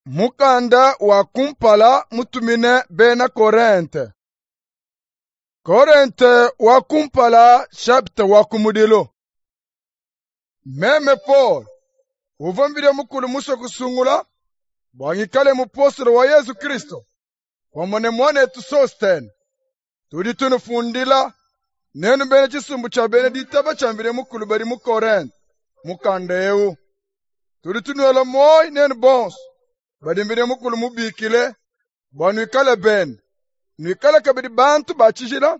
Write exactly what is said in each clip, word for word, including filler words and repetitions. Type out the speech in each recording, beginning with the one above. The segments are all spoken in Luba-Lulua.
Mukanda wa kumpala mutumine bena Korente. Korente wa kumpala chapitre wa kumudilu. Meme Paul, uvua Mvidi Mukulu musue kusungula bua ngikale mupostolo wa Yesu Kristo, pamue ne muanetu Sostene. Tudi tunufundila nenu bena tshisumbu tshia bena ditaba tshia Mvidi Mukulu badi mu Korente mukanda eu. Tudi tunuela muoyo nenu bonso badi Mvidi Mukulu mubikile bua nuikale bende, nuikale kabidi bantu ba tshijila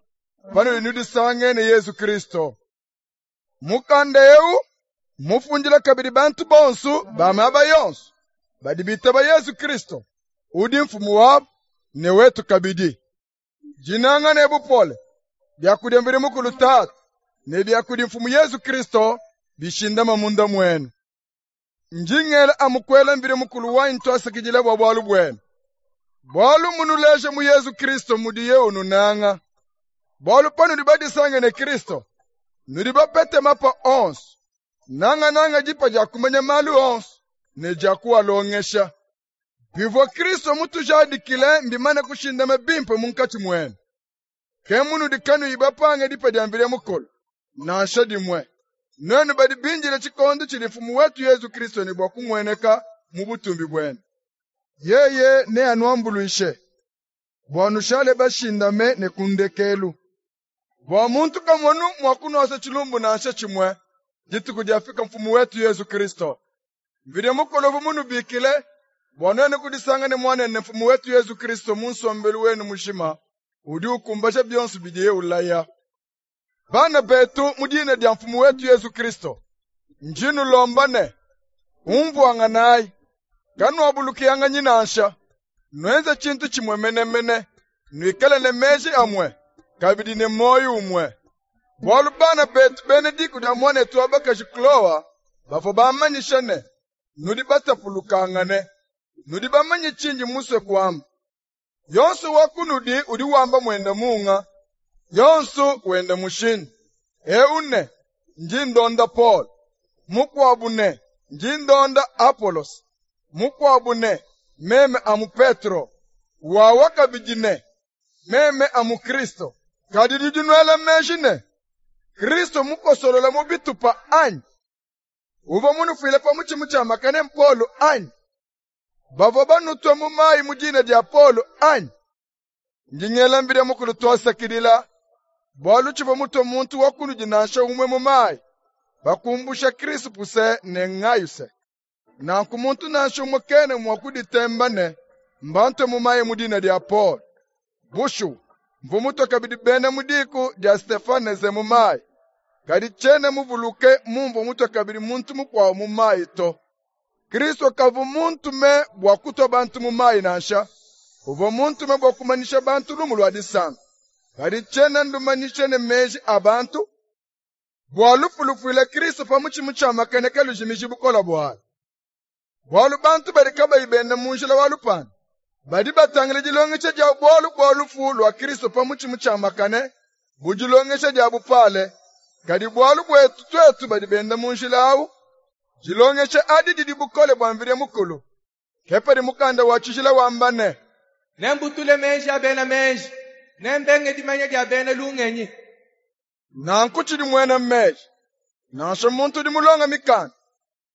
panudi nudisange ne Yesu Kristo. Mukanda eu mufundila kabidi bantu bonso ba miaba yonso badi bitaba Yesu Kristo, udi mfumu wabu ne wetu kabidi. Dinanga ne bupole bia kudi Mvidi Mukulu Tatu ne bia kudi mfumu Yesu Kristo bishindama munda muenu. Njingela amukwela Mvidi Mukulu wanyi twasakidila bua bualu buenu. Bualu munuleje mu Yesu Kristo mudiye ununanga. Bualu panudi badisange ne Kristo, nudi bapete mapa onso, nanga nanga dipa dia kumanya malu onso ne dia kuwalongesha. Bivua Kristo mutujadikile mbimane kushindama bimpe munkatshi muenu. Ke munudi kanuyi bapange dipa dia Mvidi Mukulu, nansha dimue. Nuenu badi bindile tshikondo tshidi mfumu wetu Yesu Kristo ne bua kumueneka mu butumbi buende. Yeye neanuambuluishe bua nushale bashindame ne ku ndekelu, bua muntu kamonu mua kunuasa tshilumbu nansha tshimue dituku diafika mfumu wetu Yesu Kristo. Mvidi Mukulu uvua munubikile bua nuenu kudisanga ne muanende mfumu wetu Yesu Kristo mu nsombelu wenu mujima udi ukumbaja bionso bidiye ulaya. Bana betu mu dina dia mfumu wetu Yesu Kristo, ndi nulomba ne umvuanganayi, kanuabulukianganyi nansha, nuenze tshintu tshimue menemene, nuikale ne meji amue, kabidi ne muoyo umue. Bualu bana betu bena diku dia muanetu wa bakaji Kloa bavua bamanyisha ne nudi batapulukangane, nudi bamanye tshindi musue kuamba. Yonso wa kunudi udi wamba muenda munga, yonso wenda mushindu. Eu ne ndi ndonda Paul, mukuabu ne ndi ndonda Apolos, mukuabu ne meme amu Petro, wawa kabidi ne meme amu Kristo. Kadi nudi nuela meji ne Kristo mukosolola mu bitupa anyi? Uvua munufuile pa mutshi mutshiamakane Paulo anyi? Bavua banutue mu mayi mu dina dia Paulo anyi? Ndi ngela Mvidi Mukulu twasakidila, bualu tshivua mutue muntu wa kunudi nansha umue mu mayi, bakumbusha Krispuse ne Ngayuse. Nanku muntu nansha umue kena mua kuditemba ne mbantue mu mayi mu dina dia Paul. Bushuwa, mvua mutue kabidi bena mu diku dia Stefanese mu mayi, kadi tshiena muvuluke mumvua mutue kabidi muntu mukuabu mu mayi to. Kristo kavua muntume bua kutua bantu mu mayi nansha, uvua muntume bua kumanyisha bantu lumu lua disanka. Kadi tshiena ndumanyisha ne meji a bantu, bua lufu lufuila Kristo pa mutshi mutshiamakane kalujimiji bukole bualu. Bualu bantu badi kabayi benda mu njila wa lupandu, badi batangila dilongesha dia bualu bua lufu lua Kristo pa mutshi mutshiamakane bu dilongesha dia bupale. Kadi bualu buetu tuetu badi benda mu njila awu, dilongesha adi didi bukole bua Mvidi Mukulu. Ke padi mukanda wa tshijila wamba ne, Nembutule meji a bena meji, nembenge dimanya dia bena lungenyi. Nanku tshidi muena meji, nansha muntu udi mulonga mikanda,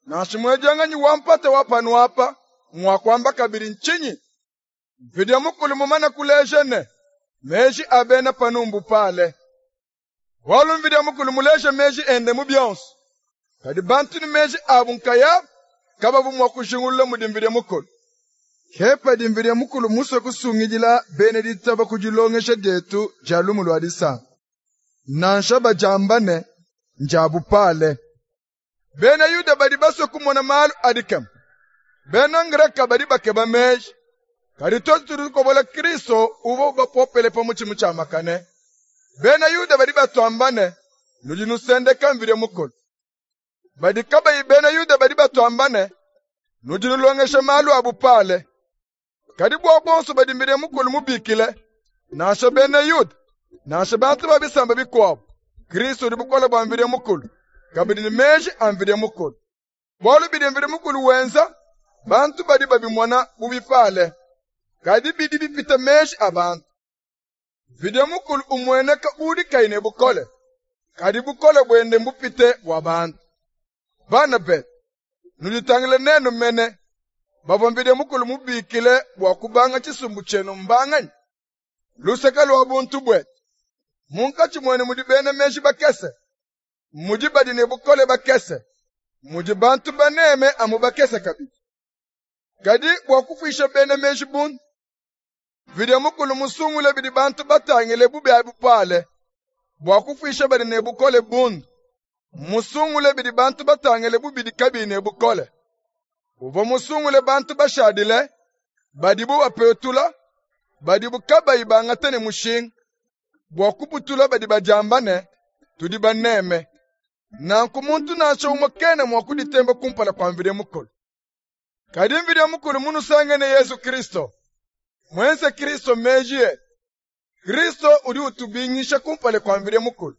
nansha muedianganyi wa mpata wa panu apa, mua kuamba kabidi ntshinyi? Mvidi Mukulu mumane kuleja ne meji a bena panu mbupale. Bualu Mvidi Mukulu muleje meji ende mu bionso, kadi bantu ne meji abu nkayabu kabavua mua kujingulula mudi Mvidi Mukulu. Ke padi Mvidi Mukulu musue kusungidila bena ditaba ku dilongesha dietu dia lumu lua disanka, nansha badiamba ne ndia bupale. Bena Yuda badi basue kumona malu a dikema, bena Ngreka badi bakeba meji, kadi tuetu tudi tukobola Kristo uvua bapopele pa mutshi mutshiamakane. Bena Yuda badi batuamba ne nudi nusendeka Mvidi Mukulu. Badi kabayi bena Yuda badi batuamba ne nudi nulongesha malu a bupale. Kadi bua bonso badi Mvidi Mukulu mubikile, nansha bena Yuda, nansha bantu ba bisamba bikuabu, Kristo udi bukole bua Mvidi Mukulu, kabidi ne meji a Mvidi Mukulu. Bualu bidi Mvidi Mukulu wenza Bantu badi babimona bu bipale, kadi bidi bipita meji a bantu. Mvidi Mukulu umueneka udi kayi ne bukole, kadi bukole buende mbupite bua bantu. Bana betu, nuditangile nenu mene, bavua Mvidi Mukulu mubikile bua kubanga tshisumbu tshienu mbanganyi? Luseke lua buntu buetu, munkatshi muenu mudi bena meji bakese, mudi badi ne bukole bakese, mudi bantu baneme amu bakese kabidi. Kadi bua kufuisha bena meji bundu, Mvidi Mukulu musungule bidi bantu batangile bu bia bupale, bua kufuisha badi ne bukole bundu, musungule bidi bantu batangile bu bidi kabiyi ne bukole. Uvua musungule bantu bashadile, badibu bapetula, badibu kabayi bangata ne mushinga, bua kubutula badi badiamba ne, tudi baneme. Nanku muntu nansha umue kena mua kuditemba kumpala kua Mvidi Mukulu. Kadi Mvidi Mukulu munusangene Yezu Kristo, muenze Kristo meji etu. Kristo udi utubingisha kumpala kua Mvidi Mukulu,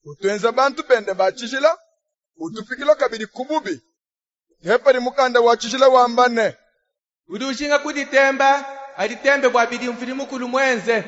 utuenza bantu bende ba tshijila, utupikila kabidi ku bubi. Ke padi mukanda wa tshijila wamba ne, Udi ujinga kuditemba, aditembe bua bidi Mvidi Mukulu muenze.